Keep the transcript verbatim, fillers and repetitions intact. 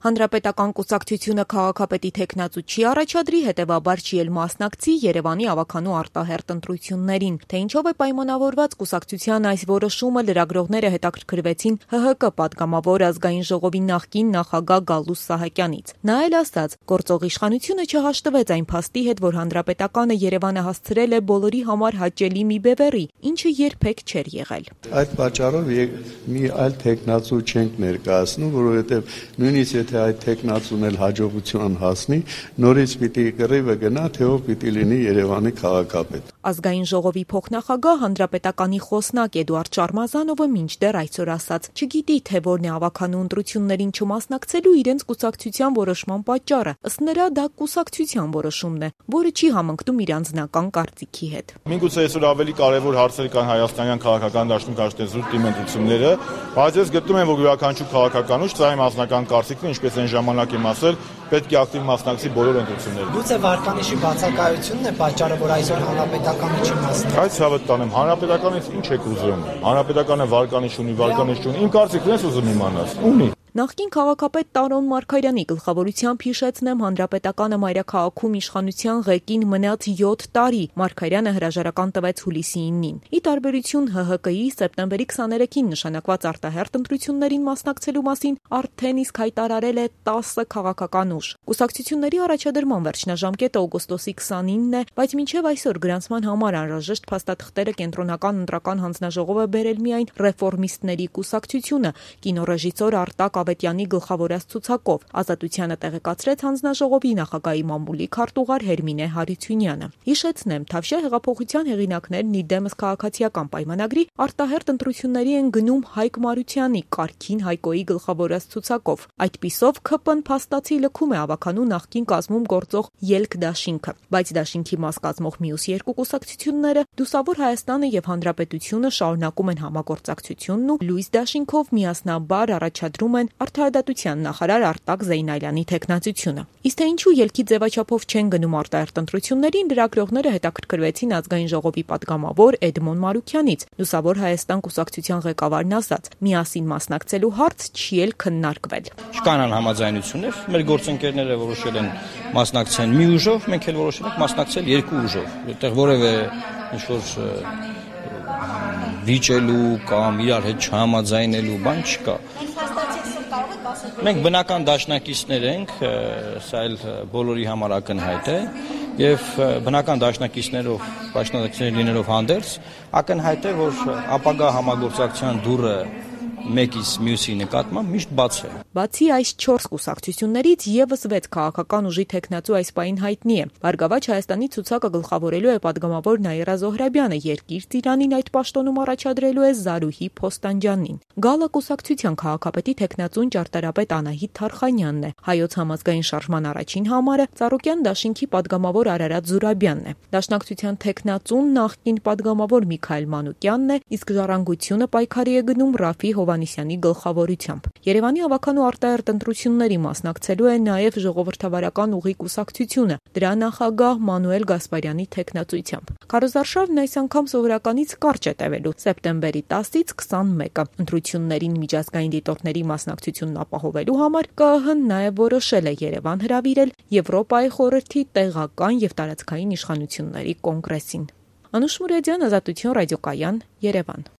Հանրապետական կուսակցությունը քաղաքապետի թեկնածու չի առաջադրի, հետևաբար չի էլ մասնակցի Երևանի ավագանու արտահերթ ընտրություններին։ Թե ինչով է պայմանավորված կուսակցության այս որոշումը, լրագրողները հետաքրքրվեցին ՀՀԿ պատգամավոր ազգային ժողովի նախկին նախագահ Գալուստ Սահակյանից։ Նա էլ ասաց, գործող իշխանությունը չհաշտվեց այն փաստի հետ, որ Հանրապետականը Երևանը հասցրել է բոլորի համար հաճելի մի բևեռի, ինչը երբեք չէր եղել։ Այդ պատճառով մի այլ թեկնածու չենք ներկայացնում, որովհետև նույնիսկ եթե այդ թեկնածուն էլ հաջողության հասնի, նորից պիտի կռիվը գնա, թե ով պիտի լինի Երևանի քաղաքապետ։ Ազգային ժողովի փոխնախագահ Հանրապետականի խոսնակ Էդուարդ Շարմազանովը մինչդեռ այսօր ասաց, չգիտի, թե որն է ավագանու ընտրություններին չմասնակցելու իրենց կուսակցության որոշման պատճառը։ Ըստ նրա, դա կուսակցության որոշումն է, որը չի համընկնում իր անձնական կարծիքի հետ։ Միգուցե այսօր ավելի կարևոր հարցեր կան հայաստանյան քաղաքական դաշտում կաշտեցուց դիմընտրությունները, բայց ես գտնում եմ, որ յուրաքանչյուր քաղաքական ուժ ծայր անձնական կարծիքն, ինչպես այն ժամանակ եմ ասել, պետք է ակտիվ մասնակցի բոլոր ընտրություններին։ Գուցե վարկանիշի բացակայությունն է պատճառը, որ այսօր Հանրապետականը չի մասնակցում։ Այս հավատ տանեմ, Հանրապետականից ինչ եք ուզում։ Հանրապետականը վարկանիշ ունի, վարկանիշ չունի։ Իմ կարծիքն ես ուզում իմանալ։ Ունի։ Նախկին քաղաքապետ Տարոն Մարգարյանի գլխավորությամբ հիշեցնեմ Հանրապետականը մայրաքաղաքում իշխանության ղեկին մնաց յոթ տարի, Մարգարյանը հրաժարական տվեց հուլիսի իննին։ Ի տարբերություն ՀՀԿ-ի սեպտեմբերի քսաներեքին նշանակված արտահերթ ընտրություններին մասնակցելու մասին արդեն իսկ հայտարարել է տասը քաղաքական ուժ։ Կուսակցությունների առաջադրման վերջնաժամկետը օգոստոսի քսանինն է, բայց մինչև այսօր գրանցման համար անհրաժեշտ փաստաթղթերը կենտրոնական ընտրական հանձնաժողով է բերել միայն ռեֆորմիստների կուսակցությունը, կինոռեժիսոր Արտակ Ավետյանի գլխավորած ցուցակով։ Ազատությանը տեղեկացրեց հանձնաժողովի նախագահի մամուլի քարտուղար Հերմինե Հարությունյանը։ Հիշեցնեմ, Թավշյա հեղափոխության հեղինակներն ի դեմս քաղաքացիական պայմանագրի արտահերթ ընտրությունների են գնում Հայկ Մարությանի Կարքին Հայկոյի գլխավորած ցուցակով։ Այդպիսով ՔՊ-ն փաստացի լքում է ավագանու նախկին կազմում գործող Ելք դաշինքը, բայց դաշինքի մաս կազմող մյուս երկու կուսակցությունները Դուսավոր Հայաստանը եւ Հանրապետությունը շարունակում են համագործակցությունն ու Լույս դաշինքով միասնաբար առաջադրում են Արդարադատության նախարար Արտակ Զեյնալյանի թեկնածությունը։ Իսկ թե ինչու ելքի ձևաչափով չեն գնում արտահերթ ընտրություններին, լրագրողները հետաքրքրվեցին ազգային ժողովի պատգամավոր Էդմոն Մարուքյանից։ Լուսավոր Հայաստան կուսակցության ղեկավարն ասաց, միասին մասնակցելու հարց չի էլ քննարկվել։ Չկան անհամաձայնություններ, մեր գործընկերները որոշել են մասնակցեն մի ուժով, մենք էլ որոշել ենք մասնակցել երկու ուժով, որտեղ որևէ ինչ-որ վիճելու կամ իրար հետ չհամաձայնելու բան չկա։ Մենք բնական դաշնակիցներ ենք, սա էլ բոլորի համար ակնհայտ է, եւ բնական դաշնակիցներով, դաշնակիցներ լինելով հանդերձ, ակնհայտ է, որ ապագա համագործակցության դուռը մեկից մյուսի նկատմամբ միշտ բաց է։ Բացի այս չորս կուսակցություններից եւս վեց քաղաքական ուժի թեկնածու այս պահին հայտնի է։ Բարգավաճ Հայաստանի ցուցակը գլխավորելու է պատգամավոր Նաիրա Զոհրաբյանը, Երկիր Ծիրանին այդ պաշտոնում առաջադրելու է Զարուհի Փոստանջյանին։ Գալը կուսակցության քաղաքապետի թեկնածուն ճարտարապետ Անահիտ Թարխանյանն է։ Հայոց համազգային շարժման առաջին համարը Ծառուկյան դաշինքի պատգամավոր Արարատ Զուրաբյանն է։ Դաշնակցության թեկնածուն նախկին պատգամավոր Միքայել Մանուկյանն է, իսկ Ժառանգությունը պայքարի է գնում Ռաֆի Հովանիսյանի գլխավորությամբ։ Երևանի ավագանու արտահերթ ընտրությունների մասնակցելու է նաև ժողովրդավարական ուղի կուսակցությունը, դրա նախագահ Մանուել Գասպարյանի թեկնածությամբ։ Քարոզարշավն այս անգամ սովորականից կարճ է տևելու՝ սեպտեմբերի տասից քսանմեկը։ Ընտրություններին միջազգային դիտորդների մասնակցությունն ապահովելու համար ԿԸՀ-ն նաև որոշել է Երևան հրավիրել Եվրոպայի խորհրդի տեղական եւ տարածքային իշխանությունների կոնգրեսին։ Անուշ Մուրադյան, Ազատություն ռադիոկայան, Երևան։